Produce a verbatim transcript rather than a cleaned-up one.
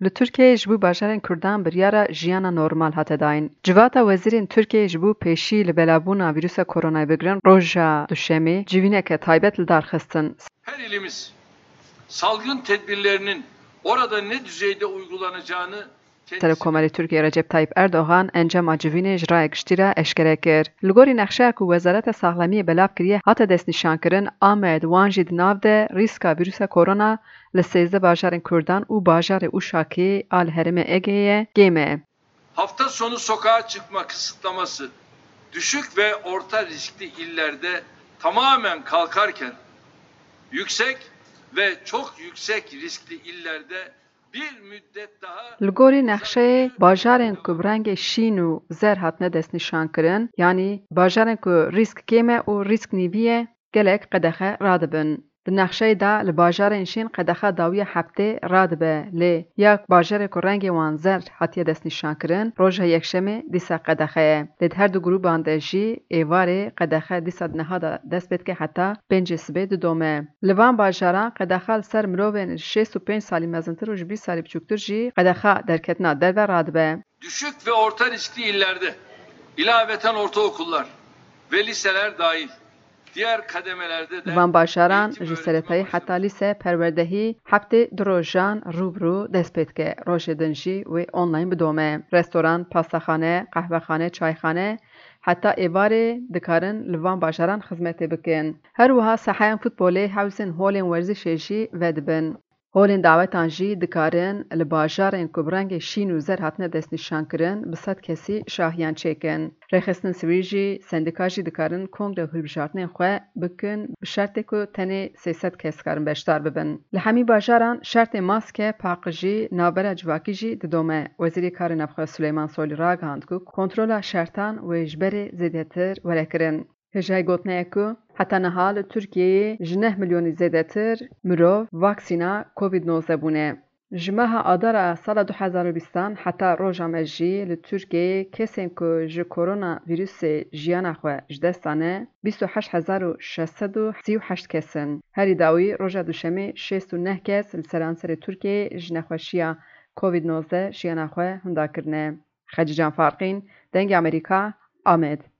Li Tirkiyeyê ji bo bajarên Kurdan biryara jiyana normal hate dayîn. Civata wezîrên Tirkiyeyê ji bo pêşî li belabûna vîrusa koronayê bigirin, roja Duşemê civîneke taybet li dar xistin. Her ilimiz salgın tedbirlerinin orada ne düzeyde uygulanacağını Serokkomarê Tirkiyeyê Recep Tayyip Erdogan encama civînê ji raya giştî re eşkere kir. Li gorî nexşeya ku Wezareta Saxlemiyê belav kiriye hate destnîşankirin, Amed, Wan jî di nav de rîska vîrusa korona li sêzdeh bajarên Kurdan û bajarê Uşakê a li herêmê Egeyê ye, kêm e. Hafta sonu sokağa çıkma kısıtlaması düşük ve orta riskli illerde tamamen kalkarken yüksek ve çok yüksek riskli illerde bir müddet daha Li gorî nexşeyê, bajarên ku bi rengê şîn û zer hatine destnîşankirin, yanî bajarên ku rîsk kêm e û rîsk nîvî ye, gelek qedexe radibin. Di nexşeyê de li bajarên şîn qedexa dawiya heftê radibe, lê ya bajarê ku rengê wan zer hatiye destnîşankirin, roja Yekşemê dîsa qedexe ye. Lê di her du grûban de jî êvarê qedexe dîsa di niha de dest pê dike heta pêncê sibê didome. Li van bajaran qedexa li ser mirovên ji şêst û pênc salî mezintir û ji bîst salî biçûktir jî qedexa derketina derve radibe. Düşük ve orta riskli illerde ilaveten ortaokullar ve liseler dahil diğer kademelerde de Li van bajaran ji seretayî heta lîse perwerdehî heftê du rojan rû bi rû dest pê dike. Rojê din jî wê online bidome. Restoran, pastaxane, qehwexane, çayxane heta êvarê dikarin li van bajaran xizmetê bikin. Her wiha saheyên futbolê, hewsên holên werzişê jî vedibin. Holên dawetan jî dikarin li bajarên ku bi rengê şîn û zer hatine destnîşankirin bi sed kesî şahiyan çêkin. Rêxistin sivîl jî, sendîka jî dikarin kongre û hilbijartinên xwe bikin bi şertê ku tenê sê sed kes dikarin beşdar bibin. Li hemî bajaran şertê maske, paqijî, navbera civakî jî didome. Wezîrê Karê Navxwe Suleyman Soylî ragihand ku kontrola şertan wê ji berê zêdetir were kirin. Hêjayî gotinê ye ku heta niha li Tirkiyeyê ji neh milyonî zêdetir mirov vaksîna Covid nozdeh bûne. Ji meha Adara sala du hezar û bîstan heta roja me jî li Tirkiyeyê kesên ku ji korona vîrusê jiyana xwe ji dest dane bîst û heşt hezar û şeş sed û sî û heşt kes in. Herî dawî roja Duşemê şêst û neh kes li seranserê Tirkiyeyê ji nexweşiya Covid nozdeh jiyana xwe hinda kirine. Xecîcan Farqîn, Dengê Amerîka, Amed.